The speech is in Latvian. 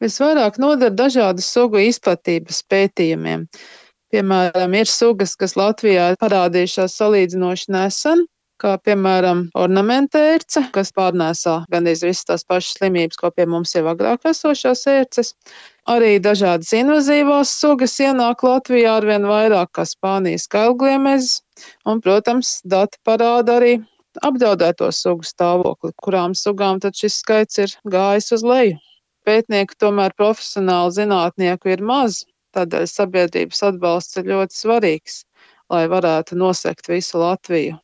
Visvairāk noder dažādu sugu izplatības pētījumiem. Piemēram, ir sugas, kas Latvijā parādījušās salīdzinoši nesen, kā piemēram ornamentērce, kas pārnēsā gandrīz visas tās pašas slimības, ko pie mums jau agrāk esošās ērces. Arī dažādas invazīvās sugas ienāk Latvijā arvien vairāk, kā Spānijas kailgliemezis, un, protams, dati parāda arī apdraudēto sugu stāvokli, kurām sugām tad šis skaits ir gājis uz leju. Pētnieku tomēr profesionālu zinātnieku ir maz, tādēļ sabiedrības atbalsts ir ļoti svarīgs, lai varētu nosegt visu Latviju.